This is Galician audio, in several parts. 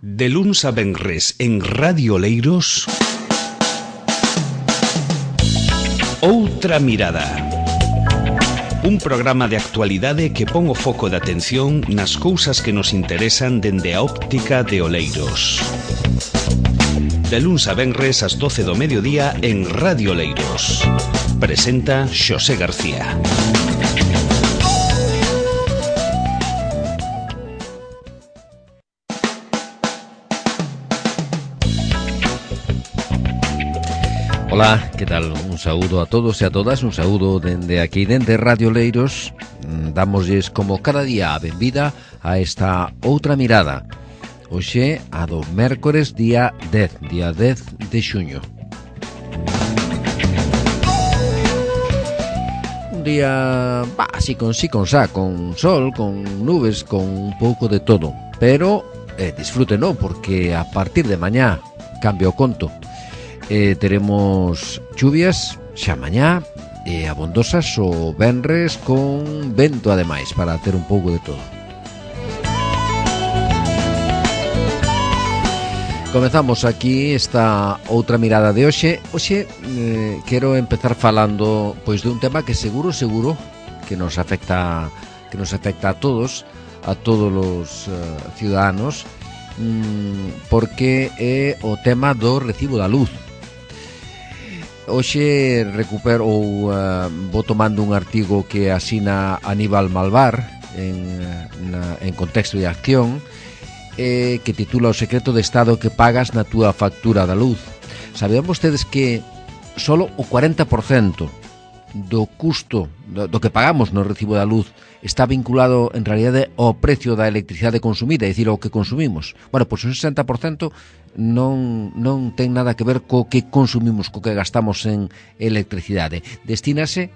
De luns a venres en Radio Oleiros, Outra Mirada. Un programa de actualidade que pon o foco de atención nas cousas que nos interesan dende a óptica de Oleiros. De luns a venres ás 12 do mediodía en Radio Oleiros. Presenta Xosé García. Ola, que tal? Un saúdo a todos e a todas, un saúdo dende aquí, dende Radio Oleiros. Dámoslles como cada día a benvida a esta Outra Mirada. Hoxe a do mércores día 10 de xuño. Un día, así con sol, con nubes, con un pouco de todo. Pero disfrútenlo, porque a partir de mañá cambia o conto. Teremos chuvias xa mañá e abondosas o venres con vento ademais para ter un pouco de todo. Comezamos aquí esta outra mirada de hoxe. Hoxe quero empezar falando pois de un tema que seguro que nos afecta a todos os ciudadanos, porque é o tema do recibo da luz. Hoxe recupero vou tomando un artigo que asina Aníbal Malvar en Contexto de Acción, que titula O secreto de Estado que pagas na túa factura da luz. Sabean vostedes que solo o 40% do custo do que pagamos no recibo da luz está vinculado en realidade ao precio da electricidade consumida, é dicir, ao que consumimos. Bueno, pois un 60% non ten nada que ver co que consumimos, co que gastamos en electricidade. Destínase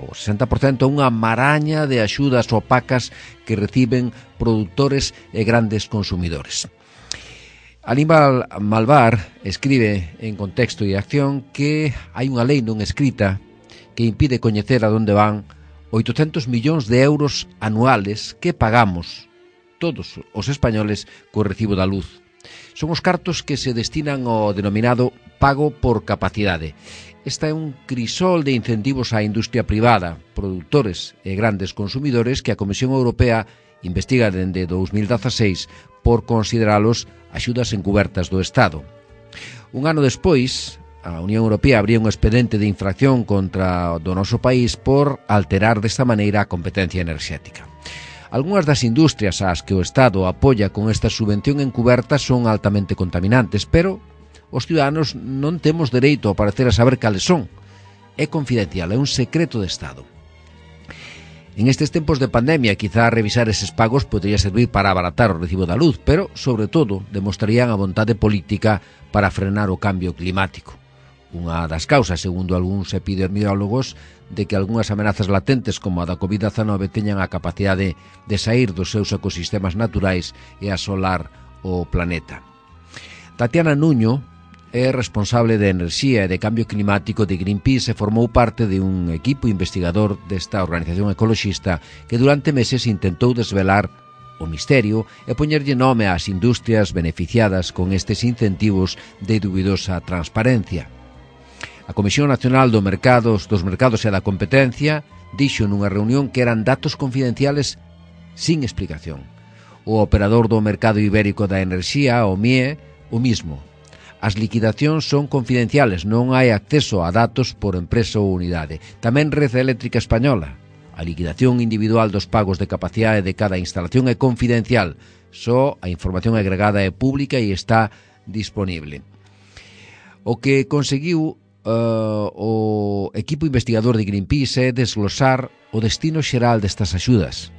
o 60% a unha maraña de axudas opacas que reciben produtores e grandes consumidores. Aníbal Malvar escribe en Contexto e Acción que hai unha lei non escrita que impide coñecer a onde van 800 millóns de euros anuales que pagamos todos os españoles co recibo da luz. Son os cartos que se destinan ao denominado pago por capacidade. Esta é un crisol de incentivos á industria privada, produtores e grandes consumidores que a Comisión Europea investiga dende 2016 por consideralos axudas encubertas do Estado. Un ano despois, a Unión Europea abría un expediente de infracción contra o noso país por alterar desta maneira a competencia enerxética. Algúnas das industrias ás que o Estado apoia con esta subvención encuberta son altamente contaminantes, pero os ciudadanos non temos dereito a parecer a saber cales son. É confidencial, é un secreto de Estado. En estes tempos de pandemia, quizá revisar eses pagos podría servir para abaratar o recibo da luz, pero, sobre todo, demostrarían a vontade política para frenar o cambio climático. Unha das causas, segundo algúns epidemiólogos, de que algunhas amenazas latentes como a da COVID-19 teñan a capacidade de sair dos seus ecosistemas naturais e asolar o planeta. Tatiana Nuño é responsable de enerxía e de cambio climático de Greenpeace e formou parte de un equipo investigador desta organización ecoloxista que durante meses intentou desvelar o misterio e poñerlle nome ás industrias beneficiadas con estes incentivos de dubidosa transparencia. A Comisión Nacional dos Mercados e da Competencia dixo nunha reunión que eran datos confidenciales sin explicación. O operador do mercado ibérico da enerxía, o MIE, o mismo. As liquidacións son confidenciales, non hai acceso a datos por empresa ou unidade. Tamén Rede Eléctrica Española. A liquidación individual dos pagos de capacidade de cada instalación é confidencial. Só a información agregada é pública e está disponible. O que conseguiu o equipo investigador de Greenpeace é desglosar o destino xeral destas axudas.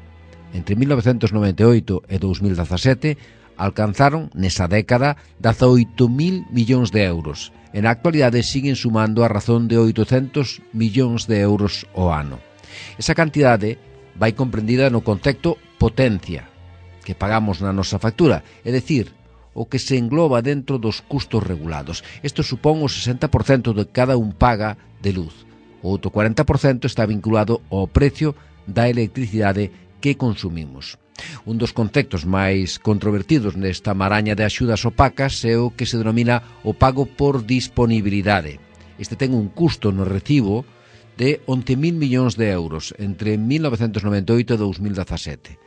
Entre 1998 e 2017 alcanzaron nesa década 18.000 millóns de euros. En a actualidade siguen sumando a razón de 800 millóns de euros ao ano. Esa cantidade vai comprendida no concepto potencia que pagamos na nosa factura, é dicir, o que se engloba dentro dos custos regulados. Isto supón o 60% de cada un paga de luz. O outro 40% está vinculado ao precio da electricidade que consumimos. Un dos conceptos máis controvertidos nesta maraña de axudas opacas é o que se denomina o pago por disponibilidade. Este ten un custo no recibo de 11.000 millóns de euros entre 1998 e 2017.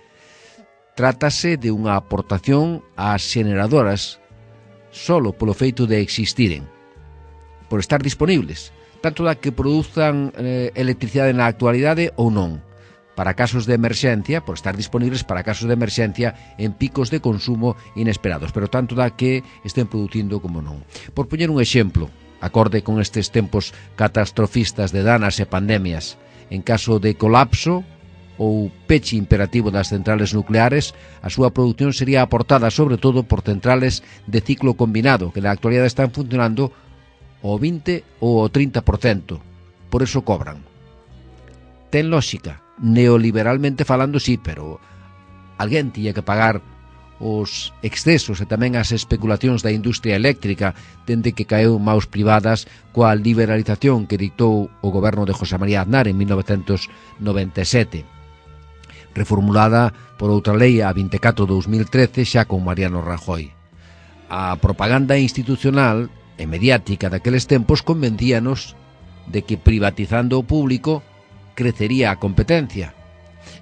Trátase de unha aportación ás xeneradoras solo polo feito de existiren, por estar disponibles, tanto da que produzan electricidade na actualidade ou non, para casos de emerxencia, por estar disponibles para casos de emerxencia en picos de consumo inesperados, pero tanto da que estén producindo como non. Por poñer un exemplo, acorde con estes tempos catastrofistas de danas e pandemias, en caso de colapso ou peche imperativo das centrales nucleares, a súa produción sería aportada sobre todo por centrales de ciclo combinado, que na actualidade están funcionando ao 20 ou ao 30%. Por eso cobran. Ten lógica. Neoliberalmente falando, sí, pero alguén tiña que pagar os excesos e tamén as especulacións da industria eléctrica dende que caeu maus privadas coa liberalización que dictou o goberno de José María Aznar en 1997, reformulada por outra lei a 24/2013 xa con Mariano Rajoy. A propaganda institucional e mediática daqueles tempos convencíanos de que privatizando o público crecería a competencia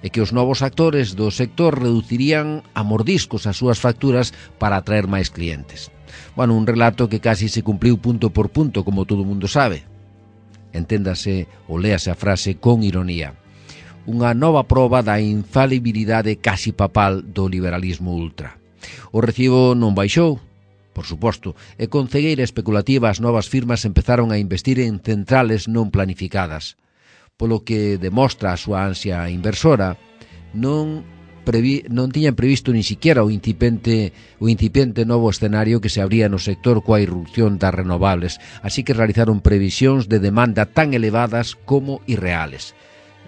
e que os novos actores do sector reducirían a mordiscos as súas facturas para atraer máis clientes. Bueno, un relato que casi se cumpliu punto por punto, como todo o mundo sabe. Enténdase ou léase a frase con ironía. Unha nova proba da infalibilidade casi papal do liberalismo ultra. O recibo non baixou, por suposto, e con cegueira especulativa as novas firmas empezaron a investir en centrales non planificadas, polo que demostra a súa ansia inversora, non tiñan previsto ni siquiera o incipiente novo escenario que se abría no sector coa irrupción das renovables, así que realizaron previsións de demanda tan elevadas como irreales.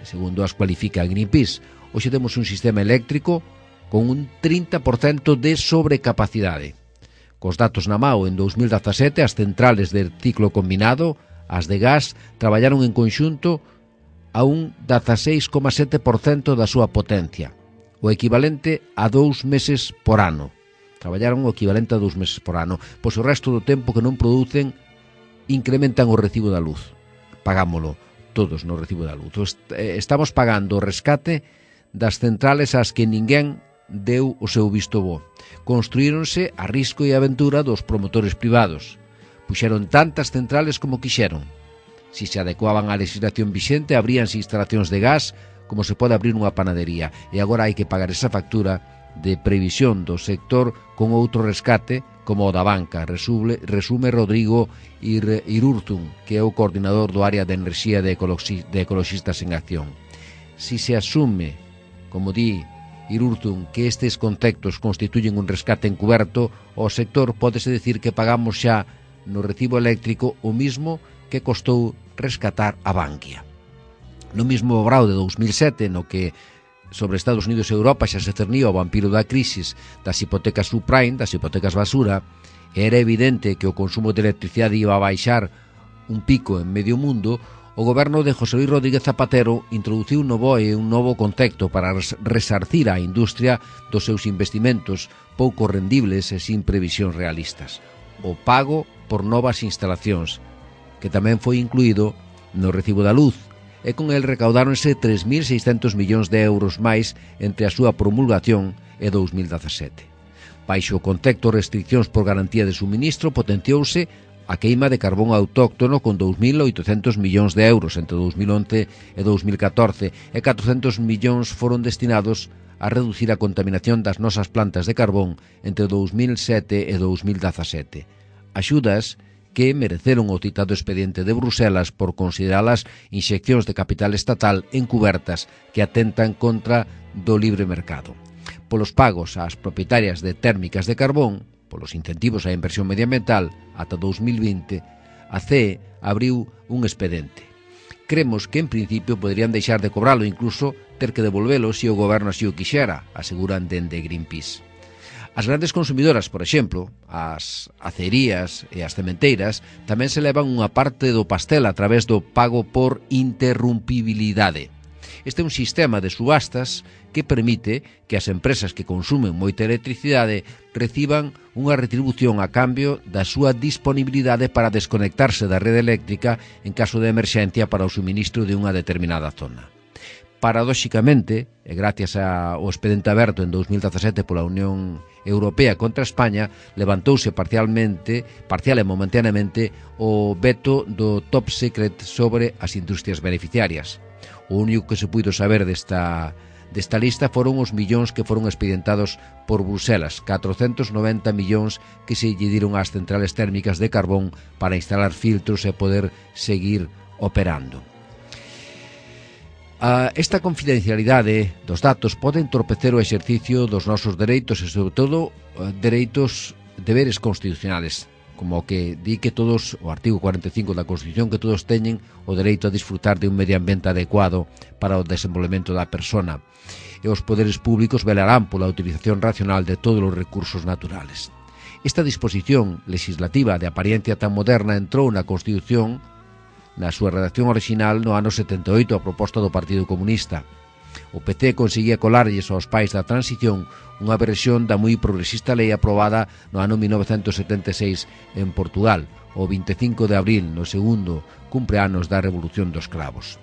Segundo as cualifica Greenpeace, hoxe temos un sistema eléctrico con un 30% de sobrecapacidade. Cos datos na mao, en 2017 as centrales de ciclo combinado, as de gas, traballaron en conxunto a un 16,7% da súa potencia, o equivalente a 2 meses por ano. Traballaron o equivalente a 2 meses por ano, pois o resto do tempo que non producen incrementan o recibo da luz. Pagámolo todos no recibo da luz. Estamos pagando o rescate das centrales ás que ninguén deu o seu visto bo. Construíronse a risco e aventura dos promotores privados. Puxeron tantas centrales como quixeron. Si se adecuaban á legislación vixente, abríanse instalacións de gas como se pode abrir unha panadería, e agora hai que pagar esa factura de previsión do sector con outro rescate como o da banca, resume Rodrigo Irurzun, que é o coordinador do área de enerxía de Ecoloxistas en Acción. Si se asume, como di Irurzun, que estes conceptos constituyen un rescate encuberto, o sector pódese decir que pagamos xa no recibo eléctrico o mismo que costou rescatar a Bankia. No mismo obrao de 2007, no que sobre Estados Unidos e Europa xa se cernía o vampiro da crisis das hipotecas subprime, das hipotecas basura, era evidente que o consumo de electricidade iba a baixar un pico en medio mundo, o goberno de José Luis Rodríguez Zapatero introduciu no BOE un novo concepto para resarcir a industria dos seus investimentos pouco rendibles e sin previsións realistas: o pago por novas instalacións, que tamén foi incluído no recibo da luz, e con el recaudáronse 3.600 millóns de euros máis entre a súa promulgación e 2017. Baixo o concepto restriccións por garantía de suministro, potenciouse a queima de carbón autóctono con 2.800 millóns de euros entre 2011 e 2014, e 400 millóns foron destinados a reducir a contaminación das nosas plantas de carbón entre 2007 e 2017. Axudas que mereceron o citado expediente de Bruselas por consideralas inxeccións de capital estatal encubertas que atentan contra do libre mercado. Polos pagos ás propietarias de térmicas de carbón, polos incentivos á inversión medioambiental, ata 2020, a CEE abriu un expediente. Cremos que en principio poderían deixar de cobralo, incluso ter que devolvelo se o goberno así o quixera, aseguran dende Greenpeace. As grandes consumidoras, por exemplo, as acerías e as cementeiras, tamén se levan unha parte do pastel a través do pago por interrumpibilidade. Este é un sistema de subastas que permite que as empresas que consumen moita electricidade reciban unha retribución a cambio da súa disponibilidade para desconectarse da rede eléctrica en caso de emerxencia para o suministro de unha determinada zona. Paradóxicamente, e gracias ao expediente aberto en 2017 pola Unión Europea contra España, levantouse parcial e momentaneamente o veto do top secret sobre as industrias beneficiarias. O único que se puido saber desta lista foron os millóns que foron expedientados por Bruselas, 490 millóns que se lle diron ás centrales térmicas de carbón para instalar filtros e poder seguir operando. Esta confidencialidade dos datos pode entorpecer o exercicio dos nosos dereitos e, sobre todo, deberes constitucionales, como que di que todos, o artigo 45 da Constitución, que todos teñen o dereito a disfrutar de un medio ambiente adecuado para o desenvolvemento da persona, e os poderes públicos velarán pola utilización racional de todos os recursos naturales. Esta disposición legislativa de apariencia tan moderna entrou na Constitución na súa redacción original no ano 78 a proposta do Partido Comunista. O PC conseguía colarlles aos pais da transición unha versión da moi progresista lei aprobada no ano 1976 en Portugal, o 25 de abril, no segundo cumpleanos da Revolución dos Cravos.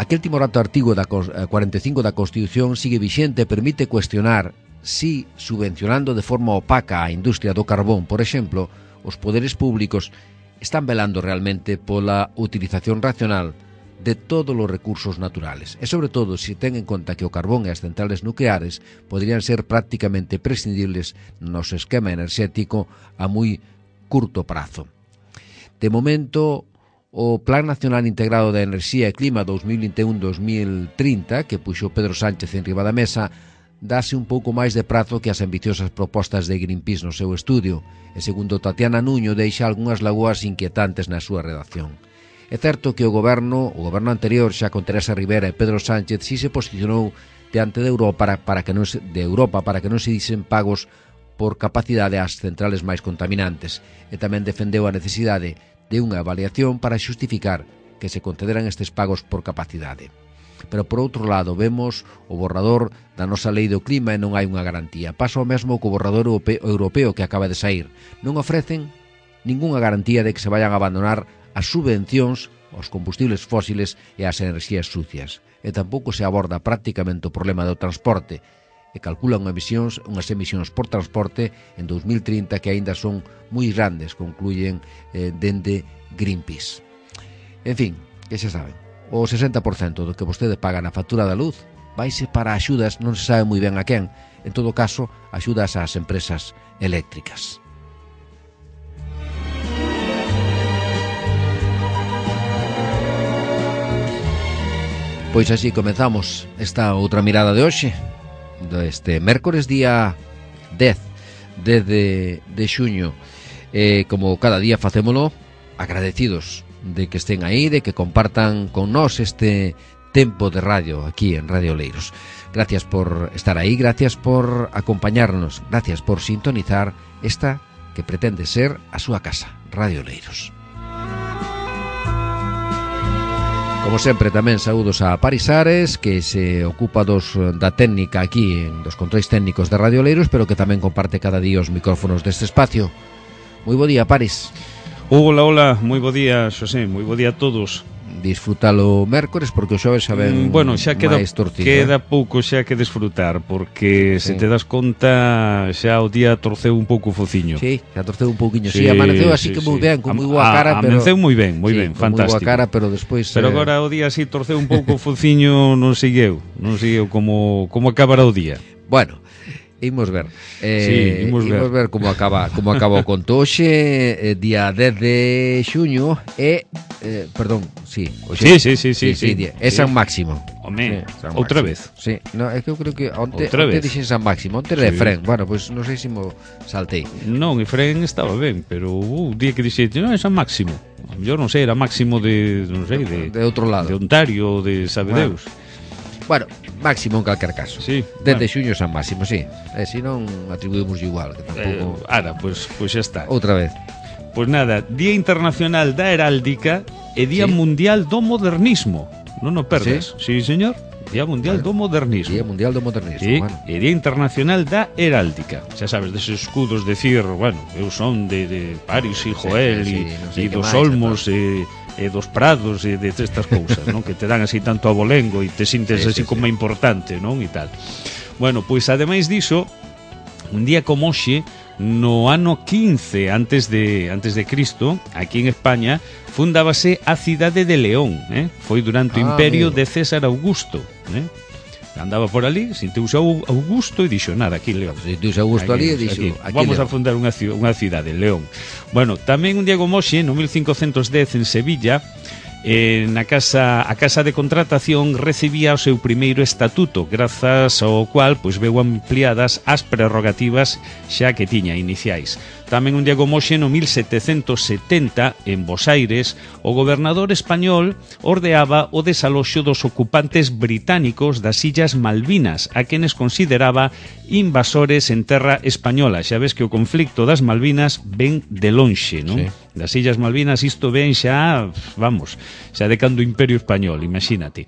Aquel timorato artigo da 45 da Constitución sigue vixente e permite cuestionar si, subvencionando de forma opaca a industria do carbón, por exemplo, os poderes públicos están velando realmente pola utilización racional de todos os recursos naturales. E, sobre todo, se ten en conta que o carbón e as centrales nucleares poderían ser prácticamente prescindibles no noso esquema enerxético a moi curto prazo. De momento, o Plan Nacional Integrado de Enerxía e Clima 2021-2030, que puxo Pedro Sánchez en riba da mesa, dáse un pouco máis de prazo que as ambiciosas propostas de Greenpeace no seu estudio, e segundo Tatiana Nuño deixa algunhas lagoas inquietantes na súa redacción. É certo que o goberno anterior, xa con Teresa Rivera e Pedro Sánchez, si se posicionou diante de Europa para que non se disen pagos por capacidade ás centrales máis contaminantes, e tamén defendeu a necesidade de unha avaliación para xustificar que se concederan estes pagos por capacidade. Pero, por outro lado, vemos o borrador da nosa lei do clima e non hai unha garantía. Pasa o mesmo co borrador europeo que acaba de saír. Non ofrecen ningunha garantía de que se vayan a abandonar as subvencións aos combustibles fósiles e ás enerxías sucias. E tampouco se aborda prácticamente o problema do transporte, e calculan unhas emisións por transporte en 2030 que aínda son moi grandes, concluyen dende Greenpeace. En fin, que xa saben, o 60% do que vostede paga na factura da luz vaise para axudas, non se sabe moi ben a quen, en todo caso, axudas ás empresas eléctricas. Pois así comezamos esta outra mirada de hoxe, deste mércores día 10 de xuño. Como cada día facémolo agradecidos de que estén aí, de que compartan con nós este tempo de radio aquí en Radio Oleiros. Gracias por estar aí, gracias por acompañarnos, gracias por sintonizar esta que pretende ser a súa casa, Radio Oleiros. Como sempre, tamén saúdos a Paris Ares, que se ocupa da técnica aquí, dos controis técnicos de Radio Oleiros, pero que tamén comparte cada día os micrófonos deste espacio. Moi bo día, Paris. Hola, moi bo día, Xosé, moi bo día a todos. Disfrútalo mércores porque o xoves xa ven xa máis torcido. Queda pouco xa que desfrutar, porque se te das conta xa o día torceu un pouco o fociño. Sí, xa torceu un pouquiño. Sí, amaneceu así que moi ben, con moi boa cara, pero amaneceu moi ben, fantástico. Moi boa cara, pero despois Pero agora o día así torceu un pouco o fociño, non segueu como acabará o día. Bueno, imos ver. Imos ver como acaba o conto. Hoxe, día 10 de xuño, perdón, sí. É San Máximo. Home, outra vez. Sí, no, é que eu creo que onte dixen San Máximo, onte era Efrén. Bueno, pois non sei se mo saltei. Non, Efrén estaba ben, pero o día que dixete, non é San Máximo. Eu non sei, era Máximo de outro lado. De Ontario, de sabe Deus. Bueno, Máximo en calquer caso. Sí, desde xuño San Máximo, sí. Se non atribuímos igual, que tampouco. Pois xa está. Outra vez. Pois nada, Día Internacional da Heráldica e Día Mundial do Modernismo. non o perdas. Sí, señor. Día Mundial do Modernismo. Día Mundial do Modernismo, bueno. E Día Internacional da Heráldica. Xa sabes, deses escudos decir, bueno, eu son de Paris e Joel e dos Olmos e dos Prados e de estas cousas, non? Que te dan así tanto abolengo e te sintes así como importante, non? E tal. Bueno, pois ademais diso, un día como hoxe, no ano 15 antes de Cristo, aquí en España, fundábase a cidade de León, foi durante o imperio de César Augusto, andaba por ali, sinteuse Augusto e dixo, nada, aquí León. Sinteuse Augusto ali e dixo, aquí vamos León. A fundar unha cidade, León. Bueno, tamén un día como hoxe, no 1510 en Sevilla, a Casa de Contratación recibía o seu primeiro estatuto, grazas ao cual pois veu ampliadas as prerrogativas xa que tiña iniciais. Tamén un día como hoxe, no 1770, en Bos Aires, o gobernador español ordeaba o desaloxo dos ocupantes británicos das Illas Malvinas, a quenes consideraba invasores en terra española. Xa ves que o conflicto das Malvinas ven de lonxe, non? Sí. Das Illas Malvinas isto ven xa, vamos, xa de cando o Imperio Español, imagínate.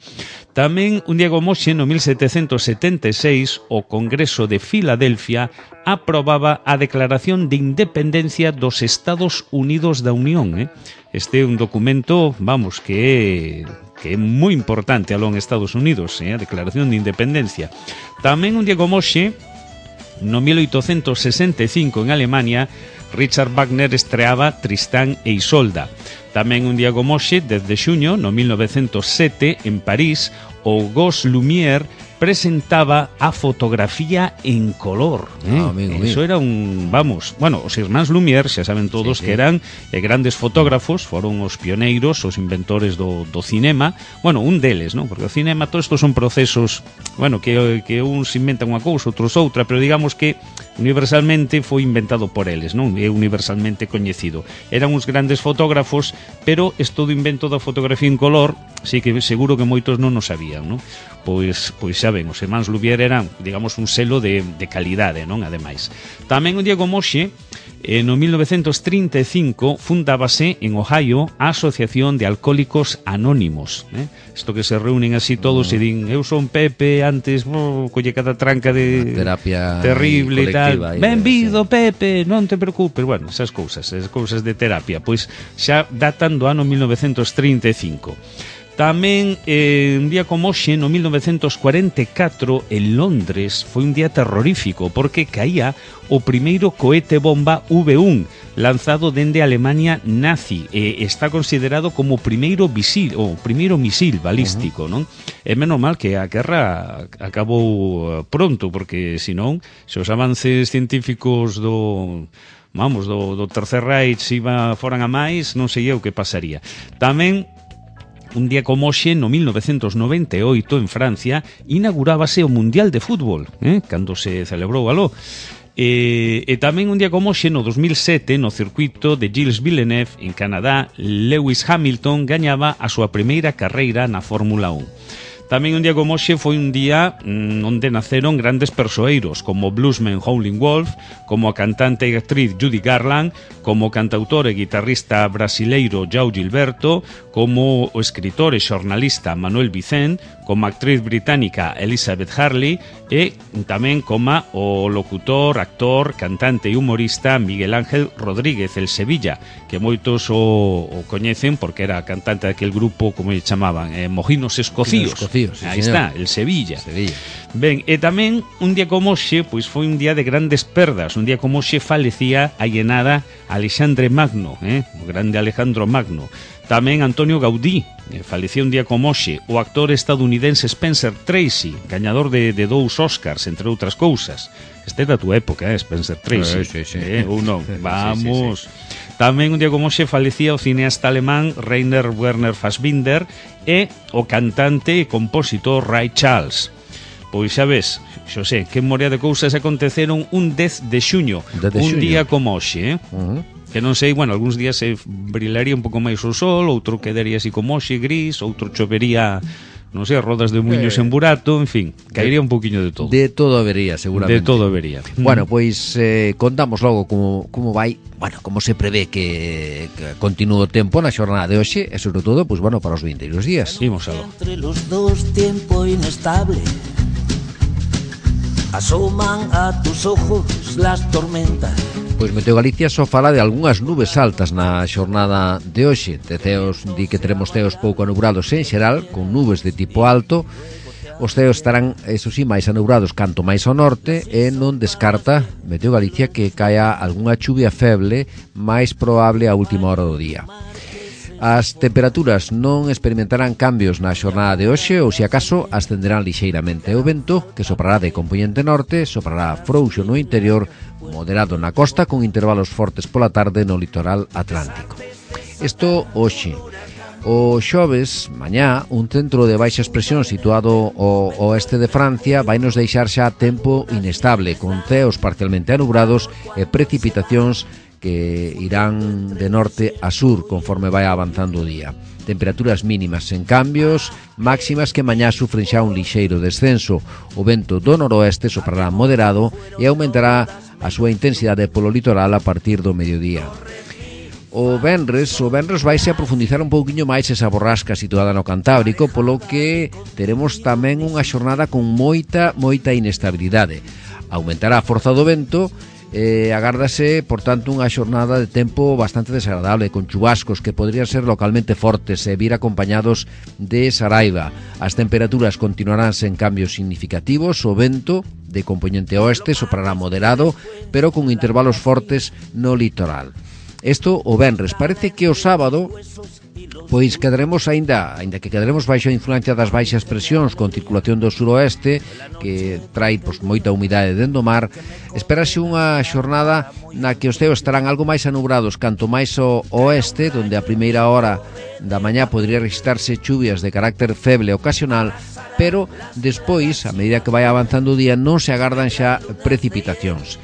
Tamén un día como hoxe, no 1776, o Congreso de Filadelfia aprobaba a Declaración de Independencia dos Estados Unidos da Unión. Este é un documento, vamos, que é moi importante aló en Estados Unidos, a Declaración de Independencia. Tamén un día como hoxe, no 1865 en Alemania, Richard Wagner estreaba Tristán e Isolda. Tamén un día como hoxe, 10 de xuño, no 1907, en París, o Gauss Lumière presentaba a fotografía en color. Eso era un, vamos, bueno, os irmáns Lumière, xa saben todos que eran grandes fotógrafos, foron os pioneiros, os inventores do cinema, bueno, un deles, non? Porque o cinema, todos estos son procesos, bueno, que uns inventan unha cousa, outros outra, pero digamos que universalmente foi inventado por eles, non? É universalmente coñecido. Eran uns grandes fotógrafos, pero isto do invento da fotografía en color, sí que seguro que moitos non o sabían, non? Pois xa ben, os irmáns Lumière eran, digamos, un selo de calidade, non? Ademais. Tamén un día como hoxe, no 1935, fundábase en Ohio a Asociación de Alcohólicos Anónimos. Isto que se reúnen así todos e din, eu son Pepe, antes colle cada tranca de terapia terrible e tal. Benvido, Pepe, non te preocupes. Bueno, esas cousas de terapia, pois xa datan do ano 1935. Tamén, un día como hoxe, no 1944, en Londres, foi un día terrorífico, porque caía o primeiro cohete bomba V1, lanzado dende a Alemania nazi, e está considerado como o primeiro misil balístico, non? É menos mal que a guerra acabou pronto, porque senón, se os avances científicos do Tercer Reich foran a máis, non sei eu que pasaría. Tamén, un día como hoxe, no 1998, en Francia, inaugurábase o Mundial de Fútbol, cando se celebrou aló. E tamén un día como hoxe, no 2007, no circuito de Gilles Villeneuve, en Canadá, Lewis Hamilton gañaba a súa primeira carreira na Fórmula 1. Tamén un día como hoxe foi un día onde naceron grandes persoeiros, como o bluesman Howlin' Wolf, como a cantante e actriz Judy Garland, como o cantautor e guitarrista brasileiro João Gilberto, como o escritor e xornalista Manuel Vicent, como a actriz británica Elizabeth Hurley e tamén como o locutor, actor, cantante e humorista Miguel Ángel Rodríguez, el Sevilla, que moitos o coñecen porque era cantante daquel grupo, como lle chamaban, Mojinos Escocíos. Aí está, el Sevilla. Ben, e tamén un día como hoxe, pois foi un día de grandes perdas. Un día como hoxe falecía hai nada Alexandre Magno, o grande Alejandro Magno. Tamén Antonio Gaudí, falecía un día como hoxe. O actor estadounidense Spencer Tracy, gañador de 2 Oscars, entre outras cousas. Este é da tua época, Spencer Tracy. Sí. Ou non? Vamos. Sí. Tamén un día como hoxe falecía o cineasta alemán Rainer Werner Fassbinder e o cantante e compositor Ray Charles. Pois xa ves, Xosé, que morea de cousas aconteceron un 10 de xuño, día como hoxe, que non sei, bueno, algúns días se brilaría un pouco máis o sol, outro quedaría así como hoxe, gris, outro chovería non sei, rodas de muiños en burato, en fin, caería un poquinho de todo. De todo habería, seguramente. De todo habería. Bueno, pois contamos logo como vai, bueno, como se prevé que continúe o tempo na xornada de hoxe e sobre todo, pois bueno, para os vindeiros días. Imos algo. Entre los dos tiempo inestable asoman a tus ojos las tormentas. Pois Meteo Galicia só fala de algunhas nubes altas na xornada de hoxe. De ceos, di que teremos ceos pouco anubrados en xeral, con nubes de tipo alto. Os ceos estarán, eso sí, máis anubrados canto máis ao norte e non descarta Meteo Galicia que caia algunha chuvia feble máis probable a última hora do día. As temperaturas non experimentarán cambios na xornada de hoxe ou, se acaso, ascenderán lixeiramente. O vento, que soprará de compoñente norte, soprará frouxo no interior, moderado na costa, con intervalos fortes pola tarde no litoral atlántico. Isto hoxe. O xoves, mañá, un centro de baixas presións situado ao oeste de Francia vai nos deixar xa tempo inestable, con ceos parcialmente anubrados e precipitacións que irán de norte a sur conforme vai avanzando o día. Temperaturas mínimas sen cambios, máximas que mañá sufren xa un lixeiro descenso. O vento do noroeste soprará moderado e aumentará a súa intensidade polo litoral a partir do mediodía. O venres vaise a profundizar un pouquiño máis esa borrasca situada no Cantábrico, polo que teremos tamén unha xornada con moita inestabilidade. Aumentará a forza do vento e agárdase, por tanto, unha xornada de tempo bastante desagradable, con chubascos que podrían ser localmente fortes e vir acompañados de saraiva. As temperaturas continuarán sen cambios significativos, o vento de compoñente oeste soprará moderado, pero con intervalos fortes no litoral. Isto o venres. Parece que o sábado pois quedaremos aínda que quedaremos baixo a influencia das baixas presións con circulación do suroeste que trai pois moita humidade dentro do mar. Espérase unha xornada na que os ceos estarán algo máis anubrados canto máis ao oeste, donde a primeira hora da mañá podría registrarse chuvias de carácter feble ocasional, pero despois, a medida que vai avanzando o día, non se agardan xa precipitacións.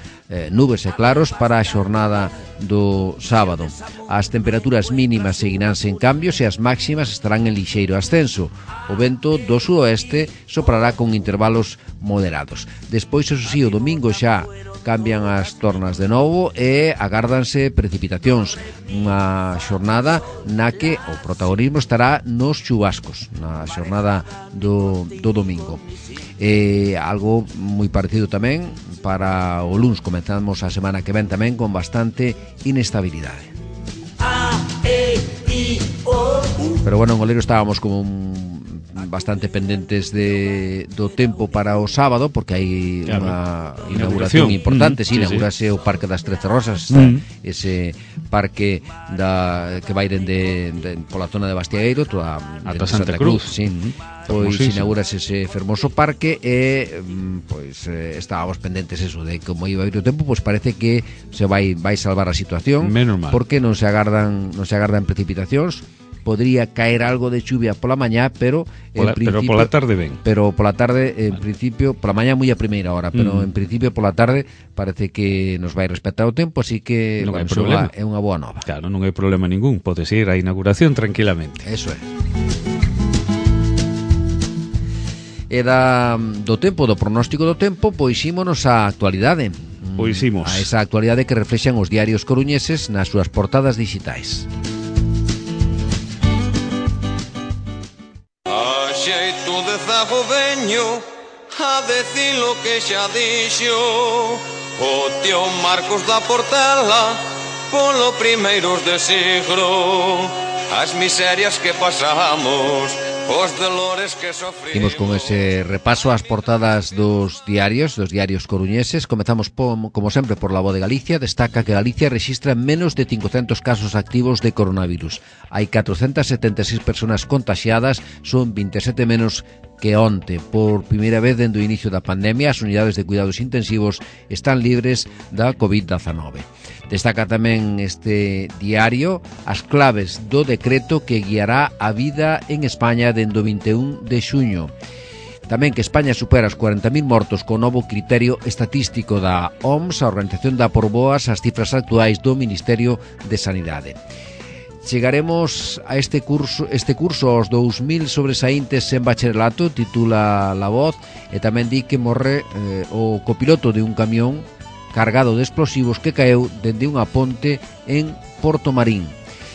Nubes e claros para a xornada do sábado. As temperaturas mínimas seguirán sen cambios e as máximas estarán en lixeiro ascenso. O vento do suroeste soprará con intervalos moderados. Despois, eso sí, o domingo xa cambian as tornas de novo e agárdanse precipitacións. Unha xornada na que o protagonismo estará nos chubascos, na xornada do domingo. Algo moi parecido tamén para o luns. Comenzamos a semana que ven tamén con bastante inestabilidade. Pero bueno, en Oleiro estábamos como bastante pendentes do tempo para o sábado, porque hai unha inauguración importante. Sí, inaugurase o Parque das Trece Rosas, ese parque que vai dende pola zona de Bastiagueiro ata Santa Cruz. Sí. Pois inaugurase ese fermoso parque e pois estábamos pendentes eso de como iba a ir o tempo, pois parece que se vai salvar a situación, porque non se agardan precipitacións. Podría caer algo de chuvia pola mañá, pero pola tarde ben. Pero pola tarde, en principio, pola mañá moi a primeira hora, pero en principio pola tarde parece que nos vai respetar o tempo, así que non hai problema. É unha boa nova. Claro, non hai problema ningún, podes ir á inauguración tranquilamente. Eso é. E do tempo, do pronóstico do tempo, pois ímonos á actualidade. Pois imos. A esa actualidade que reflexan os diarios coruñeses nas súas portadas digitais. Xeito de zago veño a decir lo que xa dixo o tío Marcos da Portela polo primeiros de siglo, as miserias que pasamos, os dolores que sofrimos. Imos con ese repaso ás portadas dos diarios coruñeses. Comezamos, como sempre, por La Voz de Galicia. Destaca que Galicia rexistra menos de 500 casos activos de coronavirus. Hai 476 personas contaxiadas, son 27 menos que onte. Por primeira vez dende o inicio da pandemia, as unidades de cuidados intensivos están libres da COVID-19. Destaca tamén este diario as claves do decreto que guiará a vida en España dende o 21 de xuño. Tamén que España supera os 40.000 mortos co novo criterio estatístico da OMS. A organización dá por boas as cifras actuais do Ministerio de Sanidade. Chegaremos a este curso aos 2000 sobresaíntes en bacharelato, titula La Voz, e tamén di que morre o copiloto de un camión cargado de explosivos que caeu dende unha ponte en Porto Marín.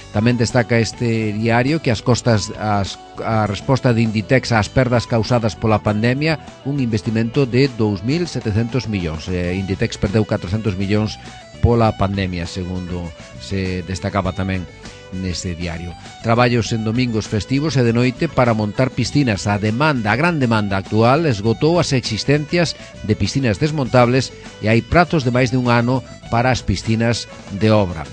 Tamén destaca este diario que a resposta de Inditex ás perdas causadas pola pandemia, un investimento de 2.700 millóns. Inditex perdeu 400 millóns pola pandemia, segundo se destacaba tamén neste diario. Traballos en domingos festivos e de noite para montar piscinas. A gran demanda actual esgotou as existencias de piscinas desmontables e hai prazos de máis de un ano para as piscinas de obra.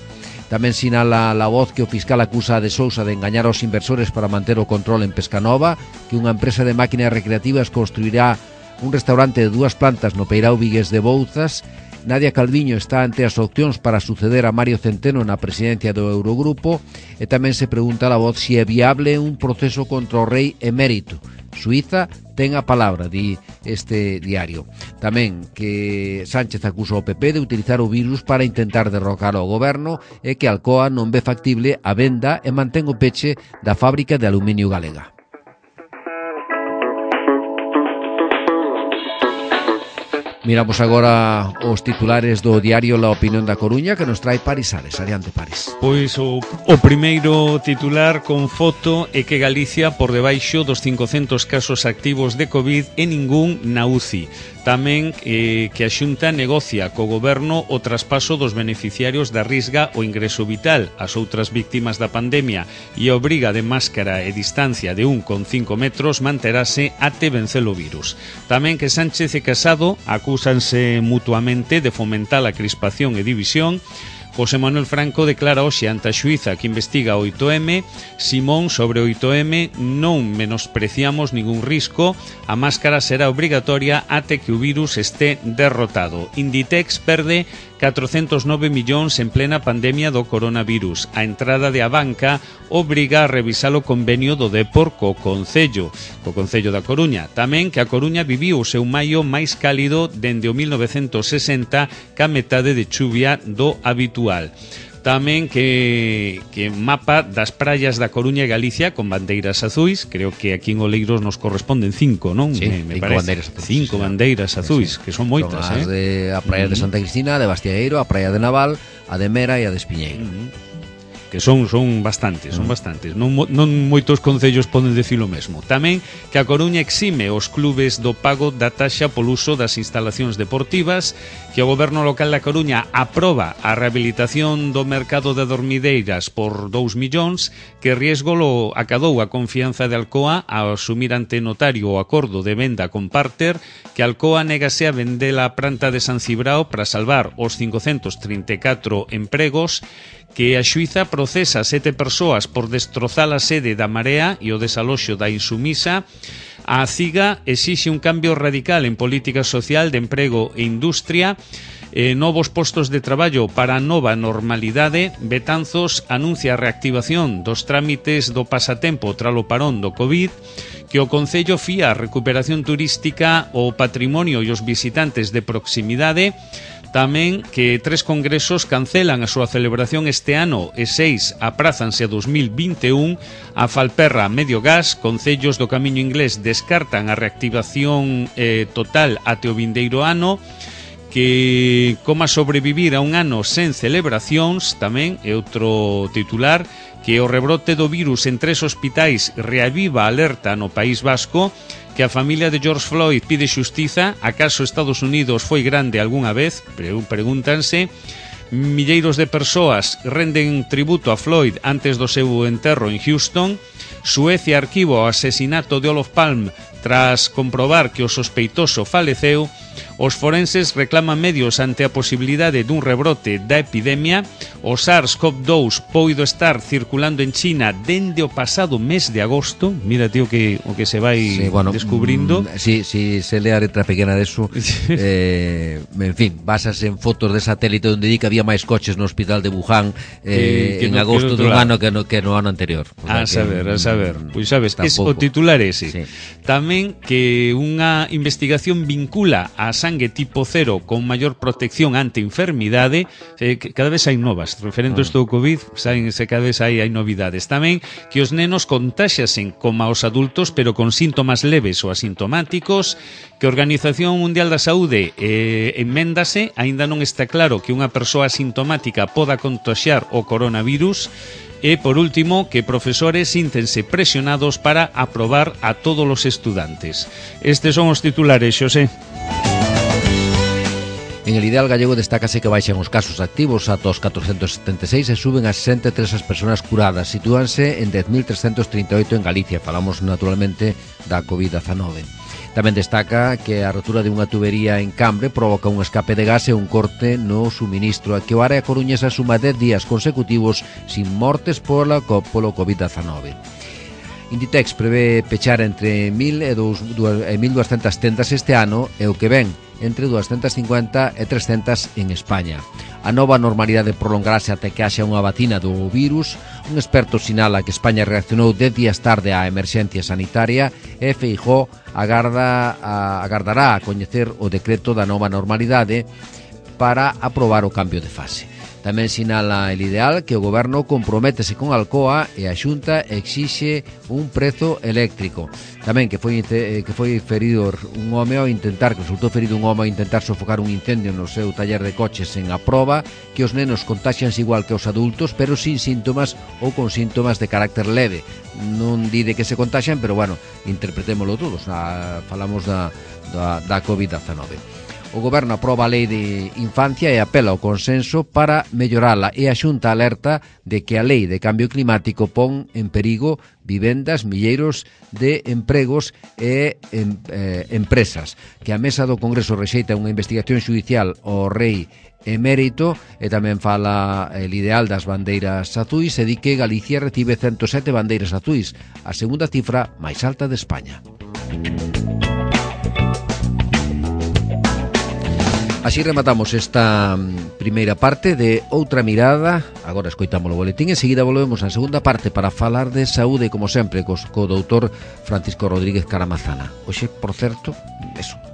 Tamén sinala La Voz que o fiscal acusa a De Sousa de engañar aos inversores para manter o control en Pescanova, que unha empresa de máquinas recreativas construirá un restaurante de 2 plantas no Peirao Vigues de Bouzas. Nadia Calviño está ante as opcións para suceder a Mario Centeno na presidencia do Eurogrupo e tamén se pregunta a La Voz se é viable un proceso contra o rei emérito. Suiza ten a palabra, di este diario. Tamén que Sánchez acusa o PP de utilizar o virus para intentar derrocar o goberno e que Alcoa non ve factible a venda e mantén o peche da fábrica de aluminio galega. Miramos agora os titulares do diario La Opinión da Coruña que nos trae Paris Ares. Adiante, Paris. Pois o primeiro titular con foto é que Galicia por debaixo dos 500 casos activos de COVID e ningún na UCI. Tamén que a Xunta negocia co goberno o traspaso dos beneficiarios da Risga o ingreso vital ás outras víctimas da pandemia e a obriga de máscara e distancia de 1,5 metros manterase até vencer o virus. Tamén que Sánchez e Casado acúsanse mutuamente de fomentar a crispación e división. José Manuel Franco declara hoxe ante a xuíza que investiga o 8M. Simón sobre o 8M: non menospreciamos ningún risco, a máscara será obrigatoria até que o virus este derrotado. Inditex perde 409 millóns en plena pandemia do coronavirus. A entrada de Abanca obriga a revisar o convenio do Depor co Concello da Coruña. Tamén que a Coruña viviu o seu maio máis cálido dende o 1960, ca metade de chuvia do habitual. Tamén que mapa das praias da Coruña e Galicia con bandeiras azuis. Creo que aquí en Oleiros nos corresponden 5, non? Sí, me parece. 5 bandeiras azuis, que son moitas, son a praia de Santa Cristina, de Bastiaeiro, a praia de Naval, a de Mera e a de Espiñeiro. Que son bastantes, non moitos concellos poden decir o mesmo. Tamén que a Coruña exime os clubes do pago da taxa polo uso das instalacións deportivas, que o goberno local da Coruña aproba a rehabilitación do mercado de dormideiras por 2 millóns, que Riesgo lo acadou a confianza de Alcoa a asumir ante notario o acordo de venda con Parter, que Alcoa negase a vender a planta de San Cibrao para salvar os 534 empregos, que a xuíza procesa 7 persoas por destrozar a sede da Marea e o desaloxo da Insumisa. A CIGA exixe un cambio radical en política social de emprego e industria, novos postos de traballo para a nova normalidade. Betanzos anuncia a reactivación dos trámites do pasatempo tralo parón do COVID, que o Concello fía a recuperación turística, o patrimonio e os visitantes de proximidade. Tamén que 3 congresos cancelan a súa celebración este ano e 6 aprázanse a 2021. A Falperra, Medio Gas, concellos do Camiño Inglés descartan a reactivación total até o vindeiro ano. Que como sobrevivir a un ano sen celebracións, tamén é outro titular. Que o rebrote do virus en 3 hospitais reaviva a alerta no País Vasco. Que a familia de George Floyd pide xustiza. Acaso Estados Unidos foi grande algunha vez? Pregúntanse. Milleiros de persoas renden tributo a Floyd antes do seu enterro en Houston. Suecia arquiva o asesinato de Olof Palme tras comprobar que o sospeitoso faleceu. Os forenses reclaman medios ante a posibilidade dun rebrote da epidemia. O SARS-CoV-2 poido estar circulando en China dende o pasado mes de agosto. Mira, tío, o que se vai descubrindo. Si se lee a letra pequena deso. En fin, basas en fotos de satélite onde di que había máis coches no hospital de Wuhan en agosto dun ano que no ano anterior. A saber. Pois sabes, es o titular ese. Sí. Tamén tamén que unha investigación vincula a sangue tipo 0 con maior protección ante enfermidade. Cada vez hai novas referentes do COVID, cada vez hai novidades. Tamén que os nenos contaxiasen como os adultos, pero con síntomas leves ou asintomáticos, que a Organización Mundial da Saúde enméndase, aínda non está claro que unha persoa asintomática poda contaxiar o coronavirus. E, por último, que profesores síntense presionados para aprobar a todos os estudantes. Estes son os titulares, Xosé. En el ideal gallego destácase que baixan os casos activos ata os 476 e suben a 63 as persoas curadas. Sitúanse en 10.338 en Galicia. Falamos naturalmente da COVID-19. Tamén destaca que a rotura de unha tubería en Cambre provoca un escape de gas e un corte no suministro, que o área coruñesa suma 10 días consecutivos sin mortes polo COVID-19. Inditex prevé pechar entre 1.000 e 1.200 tendas este ano e o que ven entre 250 e 300 en España. A nova normalidade prolongarase até que haxa unha vacina do virus. Un experto sinala que España reaccionou 10 días tarde á emerxencia sanitaria e Feijóo agardará a coñecer o decreto da nova normalidade para aprobar o cambio de fase. Tamén sinala el ideal que o goberno comprométese con Alcoa e a Xunta exixe un prezo eléctrico. Tamén que foi ferido un home ao intentar, que resultou ferido un home ao intentar sofocar un incendio no seu taller de coches en Aproba, que os nenos contaxianse igual que os adultos, pero sin síntomas ou con síntomas de carácter leve. Non di de que se contaxian, pero bueno, interpretémolo todos. Falamos da COVID-19. O goberno aproba a lei de infancia e apela ao consenso para mellorala, e a Xunta alerta de que a lei de cambio climático pon en perigo vivendas, milleiros de empregos e empresas. Que a mesa do Congreso rexeita unha investigación xudicial ao rei emérito, e tamén fala el ideal das bandeiras azuis e di que Galicia recibe 107 bandeiras azuis, a segunda cifra máis alta de España. Así rematamos esta primeira parte de Outra Mirada. Agora escoitamos o boletín e seguida volvemos na segunda parte para falar de saúde, como sempre, co doutor Francisco Rodríguez Caramazana. Hoxe, por certo,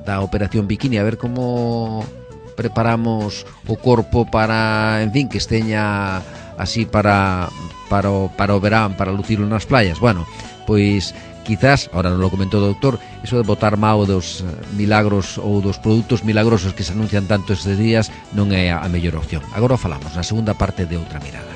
da Operación Bikini, a ver como preparamos o corpo para, en fin, que esteña así para o verán, para lucirlo nas playas. Bueno, pois quizás, ahora non lo comentou o doutor, eso de botar mao dos milagros ou dos produtos milagrosos que se anuncian tanto estes días non é a mellor opción. Agora falamos na segunda parte de Outra Mirada.